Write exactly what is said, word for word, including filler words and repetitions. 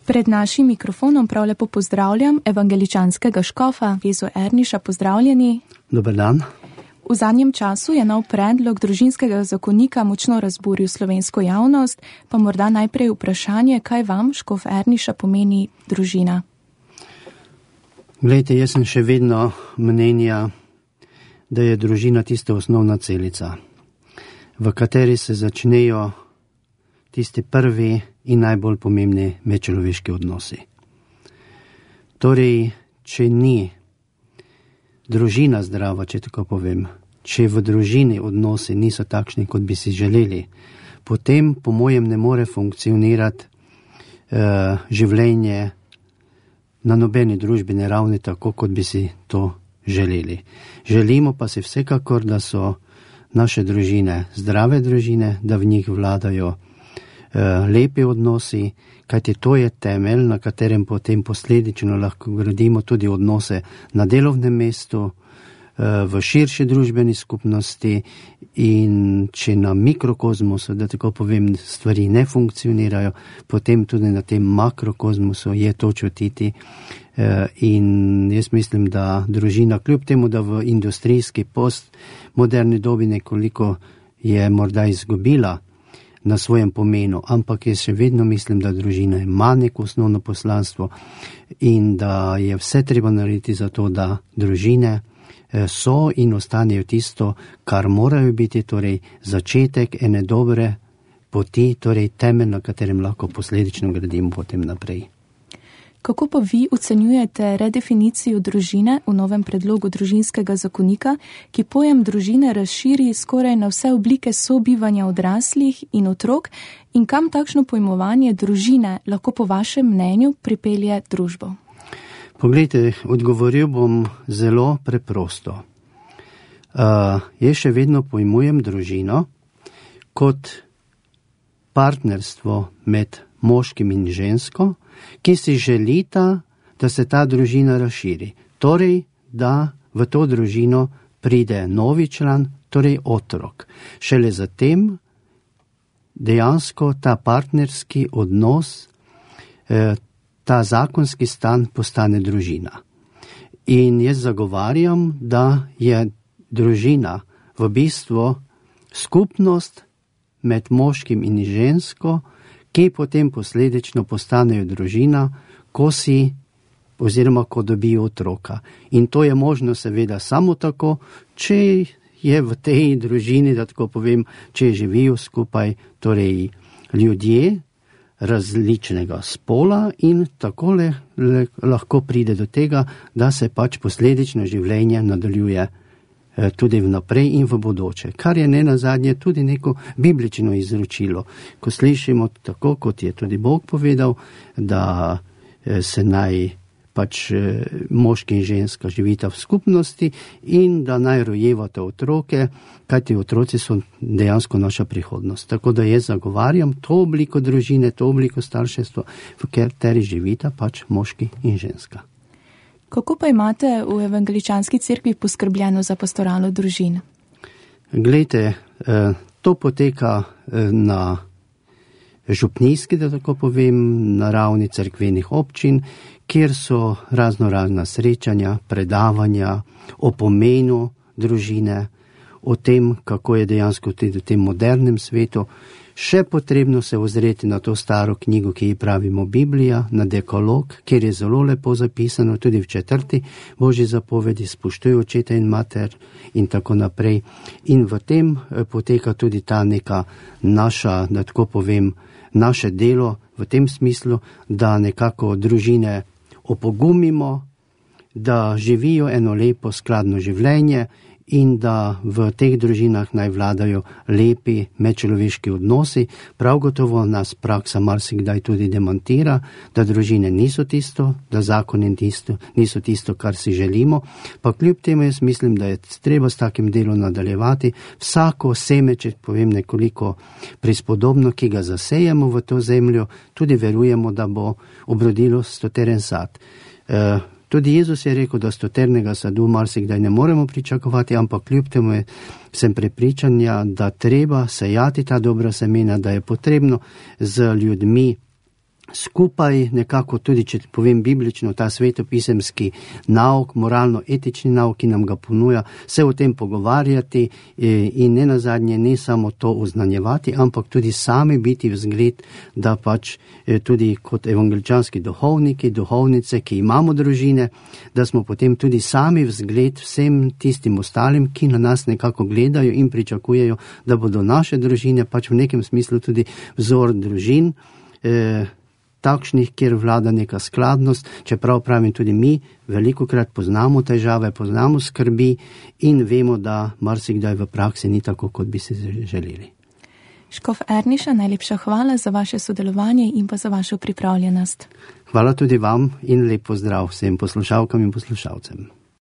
Pred našim mikrofonom prav lepo pozdravljam evangeličanskega škofa Vezo Erniša. Pozdravljeni. Dober dan. V zadnjem času je nov predlog družinskega zakonika močno razburil slovensko javnost, pa morda najprej vprašanje, kaj vam, škof Erniša, pomeni družina? Glejte, jaz sem še vedno mnenja, da je družina tista osnovna celica, v kateri se začnejo tisti prvi in najbolj pomembni medčloveški odnosi. Torej, če ni družina zdrava, če tako povem, če v družini odnosi niso takšni, kot bi si želeli, potem po mojem ne more funkcionirati uh, življenje na nobeni družbeni ravni tako, kot bi si to želeli. Želimo pa si vsekakor, da so naše družine zdrave družine, da v njih vladajo uh, lepi odnosi, kajti to je temelj, na katerem potem posledično lahko gradimo tudi odnose na delovnem mestu, v širši družbeni skupnosti, in če na mikrokozmosu, da tako povem, stvari ne funkcionirajo, potem tudi na tem makrokozmosu je to čutiti. In jaz mislim, da družina, kljub temu, da v industrijski postmoderni dobi nekoliko je morda izgubila na svojem pomenu, ampak jaz še vedno mislim, da družina ima neko osnovno poslanstvo in da je vse treba narediti za to, da družine so in ostanejo tisto, kar morajo biti, torej začetek ene dobre poti, torej temelj, na katerem lahko posledično gradimo potem naprej. Kako pa vi ocenjujete redefinicijo družine v novem predlogu družinskega zakonika, ki pojem družine razširi skoraj na vse oblike sobivanja odraslih in otrok, in kam takšno pojmovanje družine lahko po vašem mnenju pripelje družbo? Poglejte, odgovoril bom zelo preprosto. Uh, jaz še vedno pojmujem družino kot partnerstvo med moškim in žensko, ki si želita, da se ta družina razširi. Torej, da v to družino pride novi član, torej otrok. Šele zatem dejansko ta partnerski odnos, eh, ta zakonski stan postane družina. In jaz zagovarjam, da je družina v bistvu skupnost med moškim in žensko, ki potem posledično postanejo družina, ko si oziroma ko dobijo otroka. In to je možno seveda samo tako, če je v tej družini, da tako povem, če živijo skupaj, torej ljudje različnega spola, in takole le, lahko pride do tega, da se pač posledično življenje nadaljuje eh, tudi vnaprej in v bodoče. Kar je ne nazadnje tudi neko biblično izročilo. Ko slišimo tako, kot je tudi Bog povedal, da eh, se naj pač eh, moški in ženska živita v skupnosti in da naj rojevata otroke, kajti otroci so dejansko naša prihodnost. Tako da jaz zagovarjam to obliko družine, to obliko starševstva, v kateri živita pač moški in ženska. Kako pa imate v evangeličanski cerkvi poskrbljeno za pastoralo družin? Glejte, eh, to poteka eh, na župnijski, da tako povem, na ravni cerkvenih občin, kjer so razno razna srečanja, predavanja o pomenu družine, o tem, kako je dejansko tudi v tem modernem svetu še potrebno se ozreti na to staro knjigo, ki ji pravimo Biblija, na dekalog, kjer je zelo lepo zapisano tudi v četrti Božji zapovedi, spoštuj očeta in mater in tako naprej. In v tem poteka tudi ta neka naša, da tako povem, naše delo v tem smislu, da nekako družine opogumimo, da živijo eno lepo skladno življenje in da v teh družinah naj vladajo lepi medčloveški odnosi. Prav gotovo nas praksa marsikdaj tudi demantira, da družine niso tisto, da zakoni tisto, niso tisto, kar si želimo, pa kljub temu jaz mislim, da je treba s takim delom nadaljevati. Vsako seme, če povem nekoliko prispodobno, ki ga zasejemo v to zemljo, tudi verujemo, da bo obrodilo stoteren sad. E, Tudi Jezus je rekel, da stoternega sadu marsikdaj ne moremo pričakovati, ampak kljub temu je, sem prepričanja, da treba sejati ta dobra semena, da je potrebno z ljudmi skupaj nekako tudi, če povem biblično, ta svetopisemski nauk, moralno-etični nauk, ki nam ga ponuja, se o tem pogovarjati in ne nazadnje ne samo to oznanjevati, ampak tudi sami biti vzgled, da pač tudi kot evangeličanski duhovniki, duhovnice, ki imamo družine, da smo potem tudi sami vzgled vsem tistim ostalim, ki na nas nekako gledajo in pričakujejo, da bodo naše družine pač v nekem smislu tudi vzor družin, eh, takšnih, kjer vlada neka skladnost, čeprav pravim tudi mi, velikokrat poznamo težave, poznamo skrbi in vemo, da marsikdaj v praksi ni tako, kot bi si želeli. Škof Erniša, najlepša hvala za vaše sodelovanje in pa za vašo pripravljenost. Hvala tudi vam in lep pozdrav vsem poslušalkam in poslušalcem.